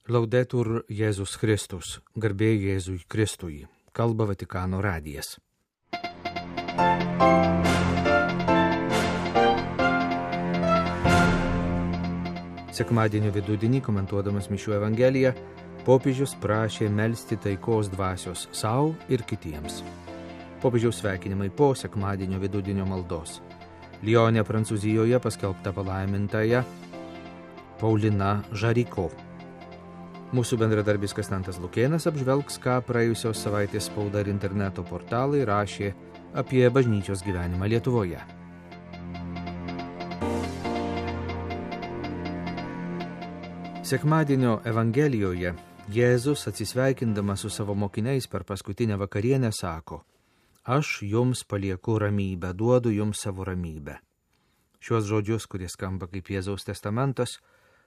Laudetur Jėzus Kristus, garbė Jėzui Kristui, kalba Vatikano radijas. Sekmadienio vidudienį, komentuodamas Mišių Evangeliją, popiežius prašė melsti taikos dvasios sau ir kitiems. Popiežiaus sveikinimai po sekmadienio vidudienio maldos. Lyone, Prancūzijoje paskelbta palaimintąja Paulina Žariko. Mūsų bendradarbis Konstantas Lukėnas apžvelgs, ką praėjusios savaitės spauda ir interneto portalai rašė apie bažnyčios gyvenimą Lietuvoje. Sekmadienio Evangelijoje Jėzus, atsisveikindamas su savo mokiniais per paskutinę vakarienę, sako: Aš jums palieku ramybę, duodu jums savo ramybę. Šiuos žodžius, kurie skamba kaip Jėzaus testamentas,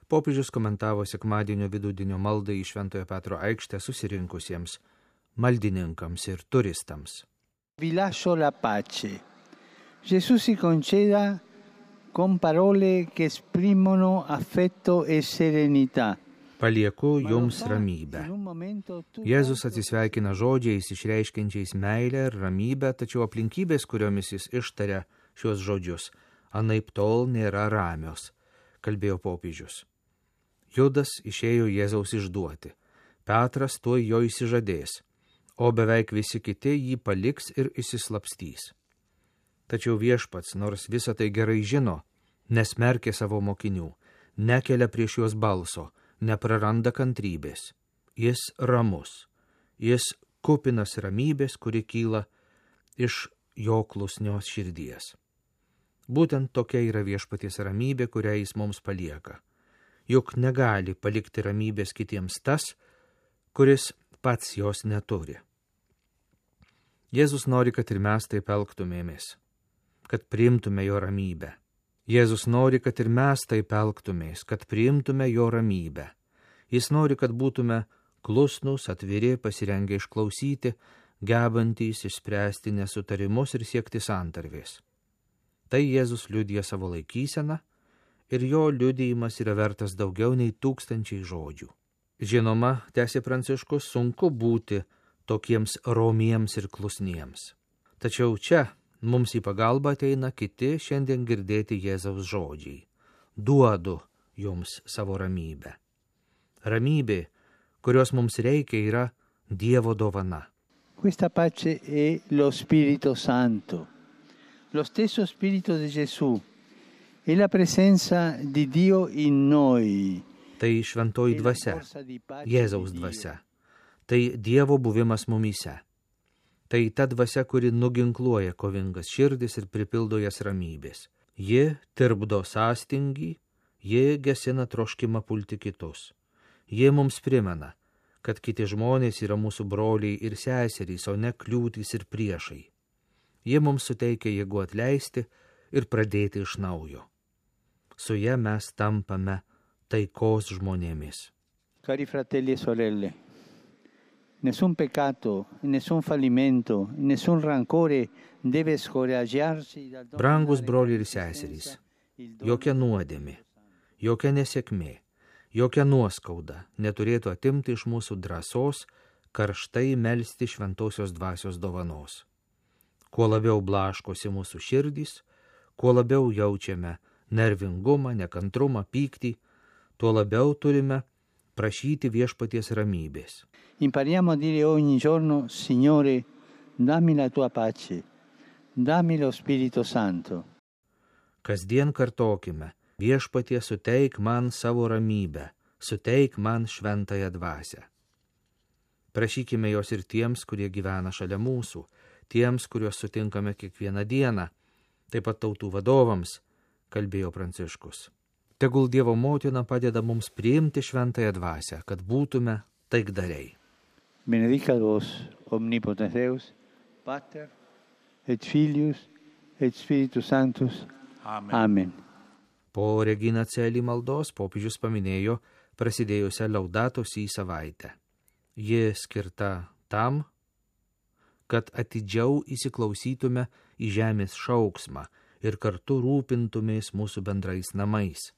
popiežius komentavo sekmadienio vidudienio maldai į Šventojo Petro aikštę susirinkusiems maldininkams ir turistams. Vi lascio la pace. Gesù si conceda con parole che esprimono affetto e serenità. Palieku jums ramybę. Jėzus atsisveikina žodžiais išreiškiančiais meilę ir ramybę, tačiau aplinkybės, kuriomis jis ištaria šios žodžius, anaiptol nėra ramios, kalbėjo popiežius. Judas išėjo Jėzaus išduoti, Petras tuoj jo išsižadės, o beveik visi kiti jį paliks ir išsislapstys. Tačiau viešpats, nors visą tai gerai žino, nesmerkė savo mokinių, nekelia prieš juos balso, nepraranda kantrybės. Jis ramus, jis kupinas ramybės, kuri kyla iš jo klusnios širdies. Būtent tokia yra viešpaties ramybė, kurią jis mums palieka. Juk negali palikti ramybės kitiems tas, kuris pats jos neturi. Jėzus nori, kad ir mes taip elgtumėmės, kad priimtume jo ramybę. Jėzus nori, kad ir mes taip elgtumės, kad priimtume jo ramybę. Jis nori, kad būtume klusnūs, atviri, pasirengę išklausyti, gebantys išspręsti nesutarimus ir siekti santarvės. Tai Jėzus liudija savo laikyseną, ir jo liudijimas yra vertas daugiau nei 1000 žodžių. Žinoma, tęsė Pranciškus, sunku būti tokiems romiems ir klusniems. Tačiau čia mums į pagalbą ateina kiti šiandien girdėti Jėzaus žodžiai. Duodu jums savo ramybę. Ramybė, kurios mums reikia, yra Dievo dovana. Questa pace è lo Spirito Santo, lo stesso Spirito di Gesù. E la presenza di Dio in noi. Tai šventoji dvasia, Jėzaus dvasia. Tai Dievo buvimas mumyse. Tai ta dvasia, kuri nuginkluoja kovingas širdis ir pripildo jas ramybės. Ji tirpdo sąstingį, ji gesina troškimą pulti kitus. Ji mums primena, kad kiti žmonės yra mūsų broliai ir seserys, o ne kliūtys ir priešai. Ji mums suteikia jėgų atleisti ir pradėti iš naujo. Su ja mes tampame taikos žmonėmis. Cari fratelli e sorelle, nessun peccato, nessun fallimento, nessun rancore deve scoraggiarci dal dono. Brangus broliai ir seserys, jokia nuodėmė, jokia nesėkmė, jokia nuoskauda neturėtų atimti iš mūsų drąsos karštai melsti šventosios dvasios dovanos. Kuo labiau blaškosi mūsų širdys, kuo labiau jaučiame nervingumą, nekantrumą, pyktį, tuo labiau turime prašyti viešpaties ramybės. Impariamo a dire ogni giorno: Signore, dammi la tua pace, dammi lo Spirito Santo. Kasdien kartokime: Viešpatie, suteik man savo ramybę, suteik man šventąją dvasią. Prašykime jos ir tiems, kurie gyvena šalia mūsų, tiems, kuriuos sutinkame kiekvieną dieną, taip pat tautų vadovams, kalbėjo Pranciškus. Tegul Dievo motina padeda mums priimti šventąją dvasią, kad būtume taikdariai. Benedicat vos omnipotens Deus, Pater et Filius et Spiritus Sanctus. Amen. Amen. Po Regina Coeli maldos popiežius paminėjo prasidėjusią Laudato Si savaitę. Ji skirta tam, kad atidžiau įsiklausytume į žemės šauksmą ir kartu rūpintumės mūsų bendrais namais,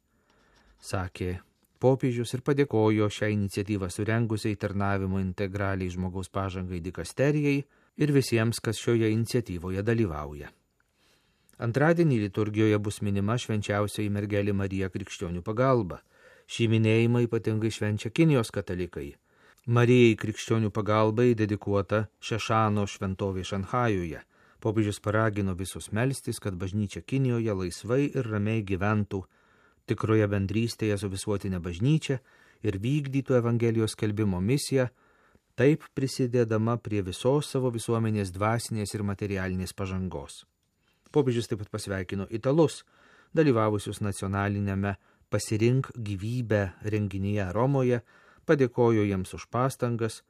sakė popiežius ir padėkojo šią iniciatyvą surengusiai tarnavimo integraliai žmogaus pažangai dikasterijai ir visiems, kas šioje iniciatyvoje dalyvauja. Antradienį liturgijoje bus minima švenčiausioji mergelė Marija Krikščionių pagalba. Šį minėjimą ypatingai švenčia Kinijos katalikai. Marijai Krikščionių pagalbai dedikuota Šešano šventovė Šanchajuje. Popiežius paragino visus melstis, kad bažnyčia Kinijoje laisvai ir ramiai gyventų tikroje bendrystėje su visuotinė bažnyčia ir vykdytų Evangelijos skelbimo misiją, taip prisidėdama prie visos savo visuomenės dvasinės ir materialinės pažangos. Popiežius taip pat pasveikino italus, dalyvavusius nacionalinėme Pasirink gyvybę renginyje Romoje, padėkojo jiems už pastangas,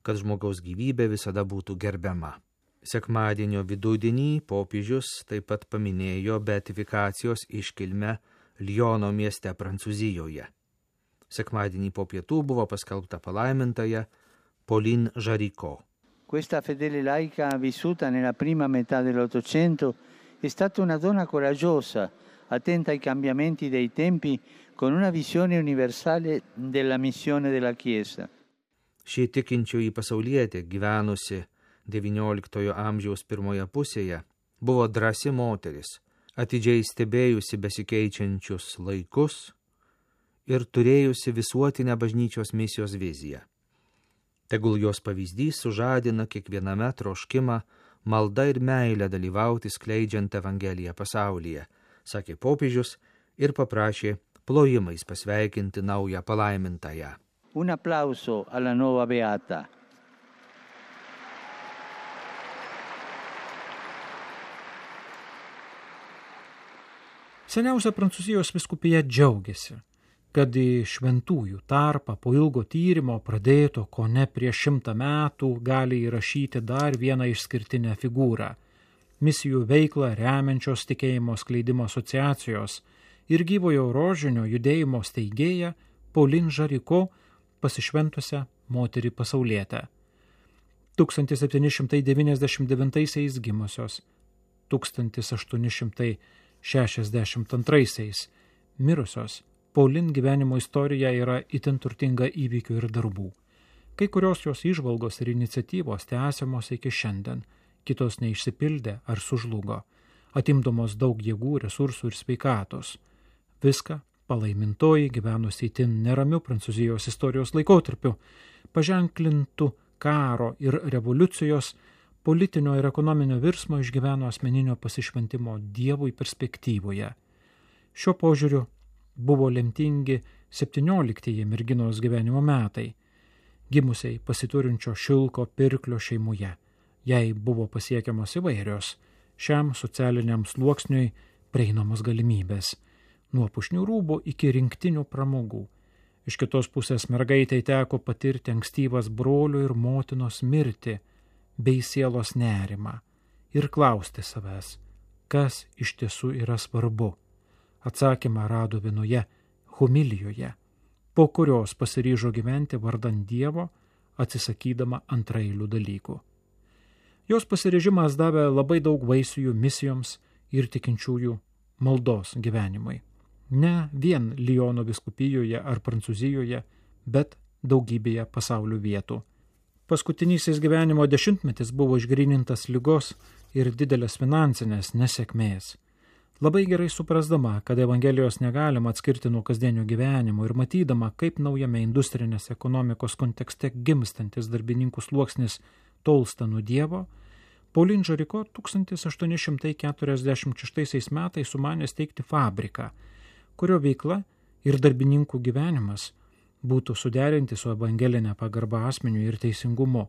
kad žmogaus gyvybė visada būtų gerbiama. Sekmadienio vidudienį popiežius taip pat paminėjo beatifikacijos iškilmę Liono mieste Prancūzijoje. Sekmadienį po pietų buvo paskelbta palaimintaja Pauline Jaricot. Questa fedele laica vissuta nella prima metà dell'Ottocento è stata una donna coraggiosa, attenta ai cambiamenti dei tempi, con una visione universale della missione della Chiesa. Ši tikinčioji pasaulietė, gyvenusi XIX amžiaus pirmoje pusėje, buvo drąsi moteris, atidžiai stebėjusi besikeičiančius laikus ir turėjusi visuotinę bažnyčios misijos viziją. Tegul jos pavyzdys sužadina kiekviename troškimą, malda ir meilę dalyvauti skleidžiant Evangeliją pasaulyje, sakė popiežius ir paprašė plojimais pasveikinti naują palaimintąją. Un applauso alla nuova beata. Seniausia Prancūzijos vyskupija džiaugiasi, kad į šventųjų tarpą po ilgo tyrimo pradėto kone prieš 100 metų gali įrašyti dar vieną išskirtinę figūrą – misijų veiklą remiančios tikėjimo skleidimo asociacijos ir gyvojo rožinio judėjimo steigėją Pauline Jaricot, pasišventusią moterį pasaulietę. 1799 gimusios, 1862 mirusios, Pauline gyvenimo istorija yra itin turtinga įvykių ir darbų. Kai kurios jos įžvalgos ir iniciatyvos tęsiamos iki šiandien, kitos neišsipildė ar sužlugo, atimdamos daug jėgų, resursų ir sveikatos. Viską palaimintoji gyvenusi itin neramiu Prancūzijos istorijos laikotarpiu, paženklintų karo ir revoliucijos, politinio ir ekonominio virsmo išgyveno asmeninio pasišventimo Dievui perspektyvoje. Šiuo požiūriu buvo lemtingi 17 merginos gyvenimo metai, gimusiai pasiturinčio Šilko pirklio šeimoje. Jai buvo pasiekiamos įvairios šiam socialiniam sluoksniui prieinamos galimybės, nuo pušnių rūbų iki rinktinių pramogų. Iš kitos pusės mergaitai teko patirti ankstyvas brolio ir motinos mirtį bei sielos nerimą ir klausti savęs, kas iš tiesų yra svarbu. Atsakymą rado vienoje homilijoje, po kurios pasiryžo gyventi vardan Dievo, atsisakydama antraeilių dalykų. Jos pasiryžimas davė labai daug vaisių misijoms ir tikinčiųjų maldos gyvenimui. Ne vien Liono vyskupijoje ar Prancūzijoje, bet daugybėje pasaulio vietų. Paskutinysis gyvenimo dešimtmetis buvo išgrynintas ligos ir didelės finansinės nesėkmės. Labai gerai suprasdama, kad Evangelijos negalima atskirti nuo kasdienio gyvenimo ir matydama, kaip naujame industrinės ekonomikos kontekste gimstantis darbininkų sluoksnis tolsta nuo Dievo, Pauline Jaricot 1846 metais sumanė steigti fabriką, kurio veikla ir darbininkų gyvenimas būtų suderinti su evangelinė pagarba asmeniui ir teisingumu.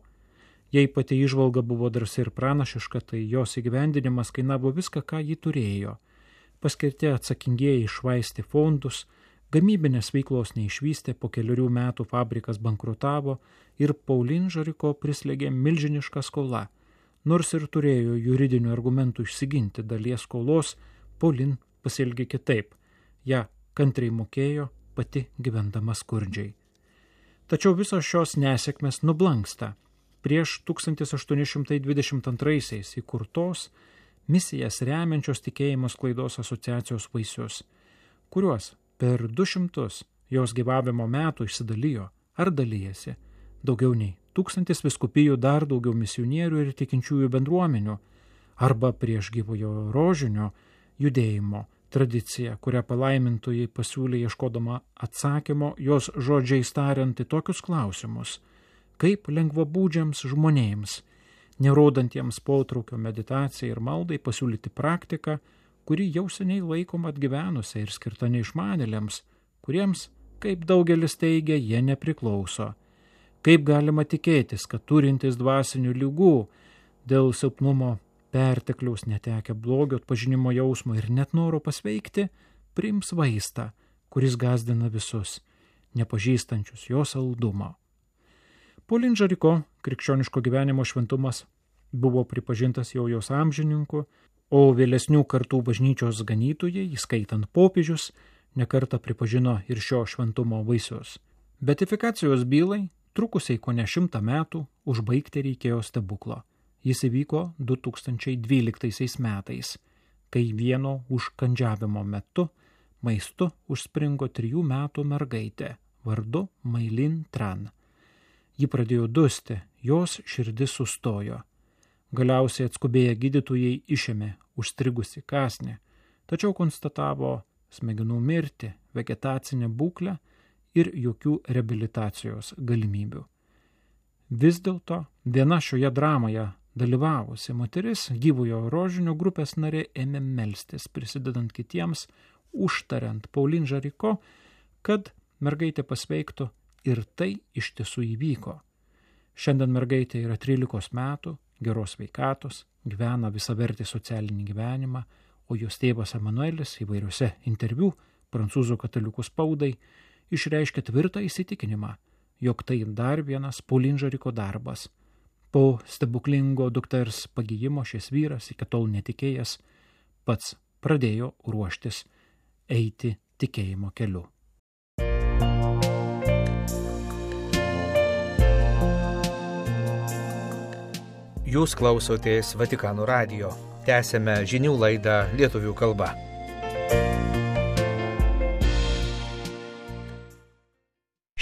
Jei pati įžvalga buvo drąsi ir pranašiška, tai jos įgyvendinimas kainavo viską, ką ji turėjo. Paskirti atsakingieji iššvaistė fondus, gamybinės veiklos neišvystė, po 4 metų fabrikas bankrutavo ir Pauline Jaricot prislėgė milžinišką skolą. Nors ir turėjo juridinių argumentų išsiginti dalies skolos, Pauline pasielgė kitaip. Ja kantriai mokėjo, pati gyvendama skurdžiai. Tačiau visos šios nesėkmės nublanksta prieš 1822 įkurtos misijas remiančios tikėjimo sklaidos asociacijos vaisius, kuriuos per 200 jos gyvavimo metų išsidalijo ar dalyjasi daugiau nei 1000 vyskupijų, dar daugiau misionierių ir tikinčiųjų bendruomenių, arba prieš gyvojo rožinio judėjimo tradicija, kurią palaimintojai pasiūlė ieškodama atsakymo, jos žodžiais tariant į tokius klausimus, kaip lengvabūdžiams žmonėms, nerodantiems potraukio meditacijai ir maldai, pasiūlyti praktiką, kuri jau seniai laikoma atgyvenusia ir skirta neišmanėliams, kuriems, kaip daugelis teigia, jie nepriklauso. Kaip galima tikėtis, kad turintys dvasinių ligų dėl silpnumo, pertekliaus, netekę blogio atpažinimo jausmo ir net noro pasveikti, priims vaistą, kuris gąsdina visus, nepažįstančius jo saldumo. Pauline Jaricot krikščioniško gyvenimo šventumas buvo pripažintas jau jos amžininku, o vėlesnių kartų bažnyčios ganytojai, įskaitant popiežius, nekartą pripažino ir šio šventumo vaisius. Beatifikacijos bylai, trukusiai kone 100 metų, užbaigti reikėjo stebuklo. Jis įvyko 2012 metais, kai vieno užkandžiavimo metu maistu užspringo 3 metų mergaitė vardu Maylin Tran. Ji pradėjo dusti, jos širdis sustojo. Galiausiai atskubėję gydytojai išėmė užstrigusi kąsnį, tačiau konstatavo smegenų mirtį, vegetacinę būklę ir jokių reabilitacijos galimybių. Vis dėlto viena šioje dramoje dalyvavusi moteris, gyvojo rožinio grupės narė, ėmė melstis, prisidedant kitiems, užtariant Pauline Jaricot, kad mergaitė pasveiktų, ir tai iš tiesų įvyko. Šiandien mergaitė yra 13 metų, geros sveikatos, gyvena visavertį socialinį gyvenimą, o jos tėvas Emanuelis įvairiuose interviu prancūzų katalikų spaudai išreiškė tvirtą įsitikinimą, jog tai dar vienas Pauline Jaricot darbas. Po stebuklingo dukters pagijimo šis vyras, iki tol netikėjęs, pats pradėjo ruoštis eiti tikėjimo keliu. Jūs klausotės Vatikano radijo. Tęsėme žinių laidą lietuvių kalba.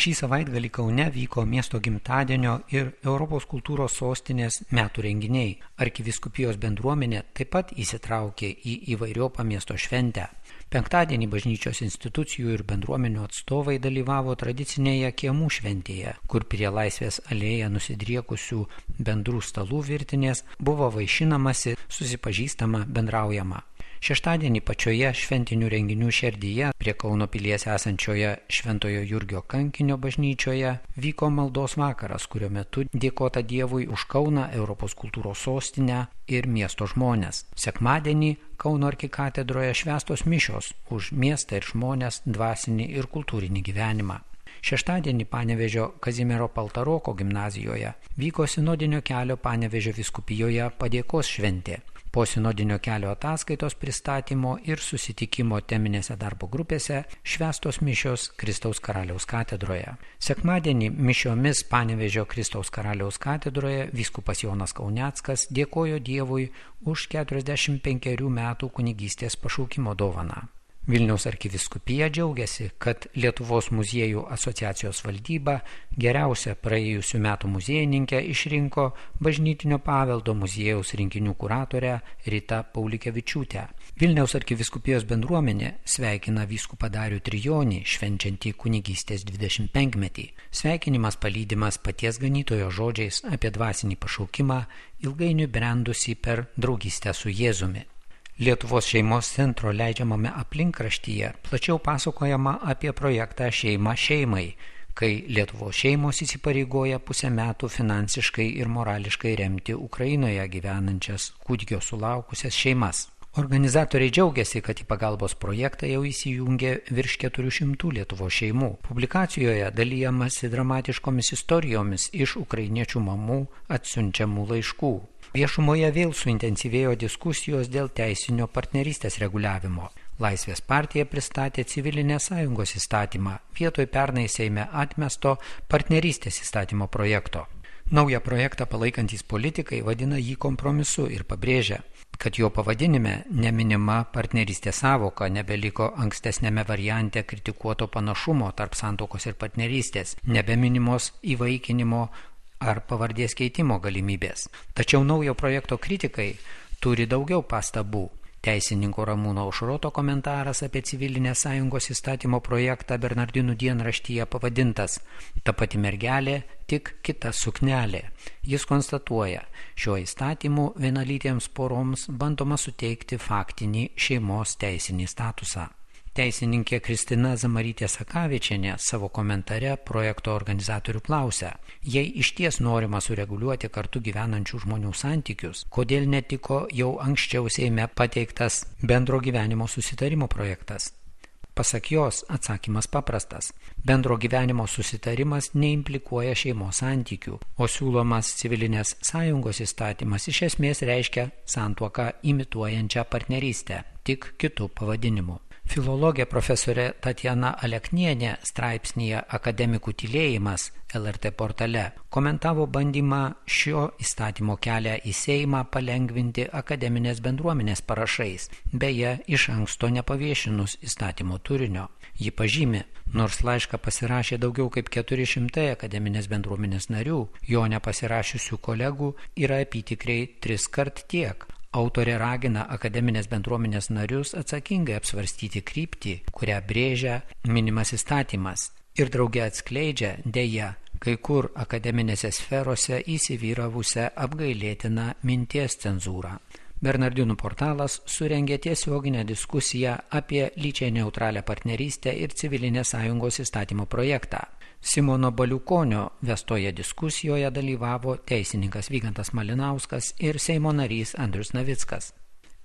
Šį savaitgalį Kaune vyko miesto gimtadienio ir Europos kultūros sostinės metų renginiai. Arkivyskupijos bendruomenė taip pat įsitraukė į įvairiopą miesto šventę. Penktadienį bažnyčios institucijų ir bendruomenių atstovai dalyvavo tradicinėje kiemų šventėje, kur prie Laisvės alėją nusidriekusių bendrų stalų virtinės buvo vaišinamasi, susipažįstama, bendraujama. Šeštadienį pačioje šventinių renginių šerdyje, prie Kauno pilies esančioje Šventojo Jurgio kankinio bažnyčioje, vyko maldos vakaras, kurio metu dėkota Dievui už Kauną, Europos kultūros sostinę ir miesto žmonės. Sekmadienį Kauno arkikatedroje švęstos mišios už miestą ir žmonės, dvasinį ir kultūrinį gyvenimą. Šeštadienį Panevėžio Kazimiero Paltaroko gimnazijoje vyko sinodinio kelio Panevėžio vyskupijoje padėkos šventė. Po sinodinio kelio ataskaitos pristatymo ir susitikimo teminėse darbo grupėse švęstos mišios Kristaus Karaliaus katedroje. Sekmadienį mišiomis Panevėžio Kristaus Karaliaus katedroje vyskupas Jonas Kauneckas dėkojo Dievui už 45 metų kunigystės pašaukimo dovaną. Vilniaus arkivyskupija džiaugiasi, kad Lietuvos muziejų asociacijos valdyba geriausia praėjusių metų muziejininkę išrinko bažnytinio paveldo muziejaus rinkinių kuratorę Ritą Paulikevičiūtę. Vilniaus arkivyskupijos bendruomenė sveikina vyskupą Darių Trijonį, švenčiantį kunigystės 25-metį. Sveikinimas palydimas paties ganytojo žodžiais apie dvasinį pašaukimą, ilgainiui brendusi per draugystę su Jėzumi. Lietuvos šeimos centro leidžiamame aplinkraštyje plačiau pasakojama apie projektą Šeima šeimai, kai Lietuvos šeimos įsipareigoja pusę metų finansiškai ir morališkai remti Ukrainoje gyvenančias kūdikio sulaukusias šeimas. Organizatoriai džiaugiasi, kad į pagalbos projektą jau įsijungė virš 400 Lietuvos šeimų. Publikacijoje dalijamasi dramatiškomis istorijomis iš ukrainiečių mamų atsiunčiamų laiškų. Viešumoje vėl suintensyvėjo diskusijos dėl teisinio partnerystės reguliavimo. Laisvės partija pristatė civilinės sąjungos įstatymą vietoj pernai Seime atmesto partnerystės įstatymo projekto. Naują projektą palaikantys politikai vadina jį kompromisu ir pabrėžia, kad jo pavadinime neminima partnerystės sąvoka, nebeliko ankstesnėme variante kritikuoto panašumo tarp santuokos ir partnerystės, nebeminimos įvaikinimo ar pavardės keitimo galimybės. Tačiau naujo projekto kritikai turi daugiau pastabų. Teisininko Ramūno Aušroto komentaras apie civilinės sąjungos įstatymo projektą Bernardinų dienraštyje pavadintas "Ta pati mergelė, tik kita suknelė". Jis konstatuoja, šiuo įstatymu vienalytėms poroms bandoma suteikti faktinį šeimos teisinį statusą. Teisininkė Kristina Zamarytė Sakavičienė savo komentare projekto organizatorių klausia, jei išties norima sureguliuoti kartu gyvenančių žmonių santykius, kodėl netiko jau anksčiau Seime pateiktas bendro gyvenimo susitarimo projektas? Pasak jos, atsakymas paprastas. Bendro gyvenimo susitarimas neimplikuoja šeimos santykių, o siūlomas civilinės sąjungos įstatymas iš esmės reiškia santuoką imituojančią partnerystę, tik kitų pavadinimų. Filologė profesorė Tatjana Aleknienė straipsnyje "Akademikų tylėjimas" LRT portale komentavo bandymą šio įstatymo kelią į Seimą palengvinti akademinės bendruomenės parašais, beje, iš anksto nepaviešinus įstatymo turinio. Ji pažymi, nors laišką pasirašė daugiau kaip 400 akademinės bendruomenės narių, jo nepasirašiusių kolegų yra apytikriai 3 kart tiek. Autorė ragina akademinės bendruomenės narius atsakingai apsvarstyti kryptį, kurią brėžia minimas įstatymas, ir drauge atskleidžia, deja, kai kur akademinėse sferose įsivyravusią apgailėtiną minties cenzūrą. Bernardinų portalas surengė tiesioginę diskusiją apie lyčiai neutralią partnerystę ir civilinės sąjungos įstatymo projektą. Simono Baliukonio vestoje diskusijoje dalyvavo teisininkas Vygantas Malinauskas ir Seimo narys Andrius Navickas.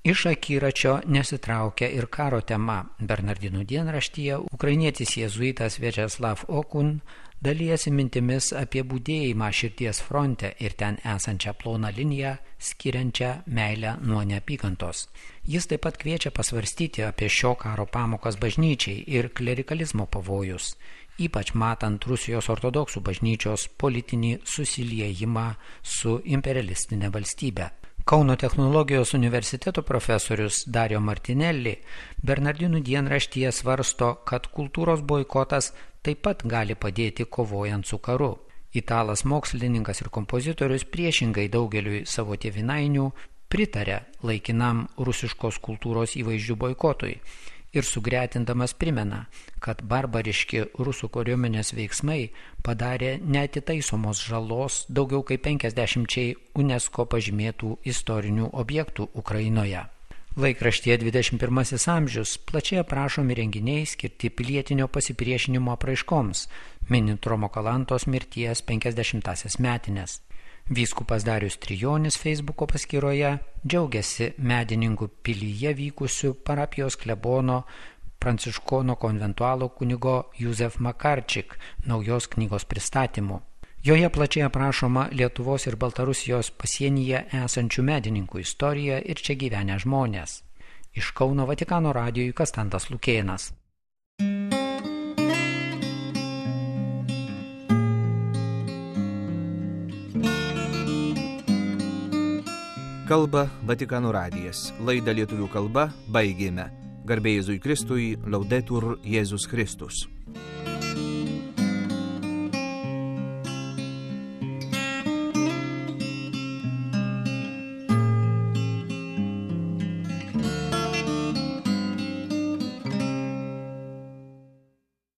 Iš akiračio nesitraukia ir karo tema. Bernardinų dienraštyje ukrainietis jėzuitas Večeslav Okun dalijasi mintimis apie budėjimą širdies fronte ir ten esančią ploną liniją, skiriančią meilę nuo neapykantos. Jis taip pat kviečia pasvarstyti apie šio karo pamokas bažnyčiai ir klerikalizmo pavojus, ypač matant Rusijos ortodoksų bažnyčios politinį susiliejimą su imperialistinė valstybė. Kauno technologijos universiteto profesorius Dario Martinelli Bernardinų dienraštyje svarsto, kad kultūros boikotas taip pat gali padėti kovojant su karu. Italas mokslininkas ir kompozitorius priešingai daugeliui savo tėvynainių pritarė laikinam rusiškos kultūros įvaizdžių boikotui ir sugretindamas primena, kad barbariški rusų kariuomenės veiksmai padarė neatitaisomos žalos daugiau kaip 50 UNESCO pažymėtų istorinių objektų Ukrainoje. Laikraštyje 21 amžius plačiai aprašomi renginiai skirti pilietinio pasipriešinimo apraiškoms, minint Romo Kalantos mirties 50-asias metines. Vyskupas Darius Trijonis Feisbuko paskyroje džiaugiasi Medininkų pilyje vykusių parapijos klebono pranciškono konventualo kunigo Józef Makarčik naujos knygos pristatymu. Joje plačiai aprašoma Lietuvos ir Baltarusijos pasienyje esančių medininkų istorija ir čia gyvenę žmonės. Iš Kauno Vatikano radijui Kastantas Lukėnas. Kalba Vatikano radijas. Laidą lietuvių kalba baigėme. Garbė Jėzui Kristui, Laudetur Jėzus Kristus.